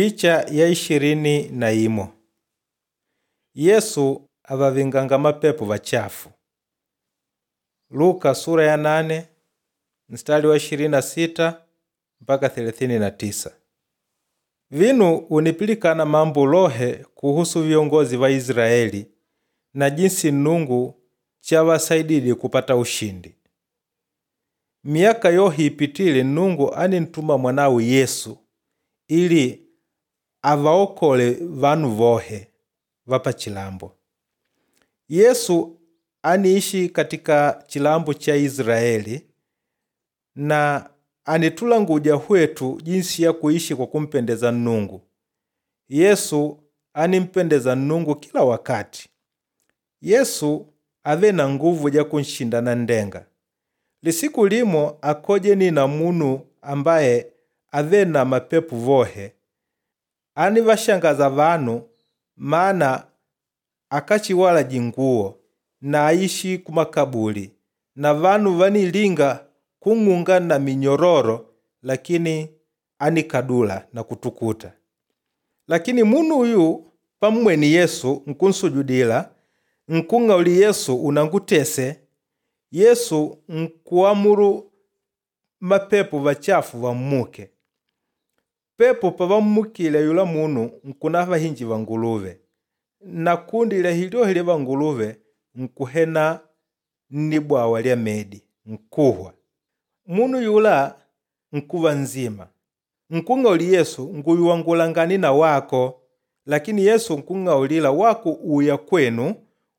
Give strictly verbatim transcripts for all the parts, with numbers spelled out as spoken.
Picha ya ishirini na imo Yesu avavinganga mapepu vachafu. Luka sura ya nane mstari wa ishirini na sita mpaka thelathini na tisa. Vinu unipilikana mambo lohe kuhusu viongozi va Israeli na jinsi Nnungu chavasaidile kupata ushindi. Miaka yohe ipitile Nnungu anintuma mwanawe Yesu ili avaokole vanu vohe va pachilambo. Yesu aniishi katika chilambo cha Israeli na anitulanguja hwetu jinsi ya kuishi kwa kumpendeza Nnungu. Yesu animpendeza Nnungu kila wakati. Yesu ave na nguvu ja kunshinda nanndenga. Lisiku limo akojeni na munu ambaye ave na mapepu vohe anivashangaza vanu maana akachiwala jinguwo na aishi kumakabuli na vanu vanilinga kung'unga na minyororo lakini anikadula na kutukuta. Lakini munu uyu pammweni Yesu nkunsujudila nkung'auli Yesu unangutese. Yesu nkuamuru mapepu vachafu vammuke. Pepu pavammukile yula munu nkuna vahinji va nguluve na kundi lya hilyohi lya vanguluve nkuhena nnibwawa lya medi nkuhwa. Munu yula nkuva nzima nkung'auli Yesu nguyuwa ngulangani na wako, lakini Yesu nkung'aulila wako uya kwenu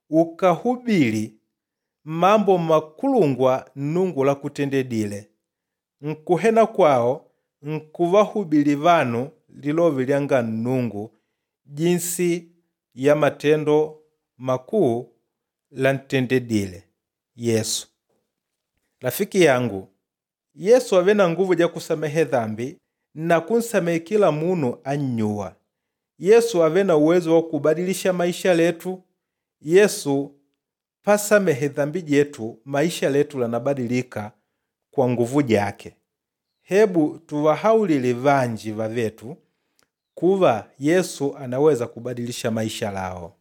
ukahubili mambo makulungwa Nnungu lakutendedile. Nkuhena kwawo nkuvahubili vanu lilove lyanga Nnungu jinsi ya matendo makuu lantendedile Yesu. Rafiki yangu, Yesu ave na nguvu ja kusamehe dhambi na kunsamehe kila munu annyuwa. Yesu ave na uwezo wa kubadilisha maisha letu. Yesu pasamehe dhambi jetu, maisha letu lanabadilika kwa nguvu jake. Hebu tuvahaulile vanji vavetu kuva Yesu anaweza kubadilisha maisha lao.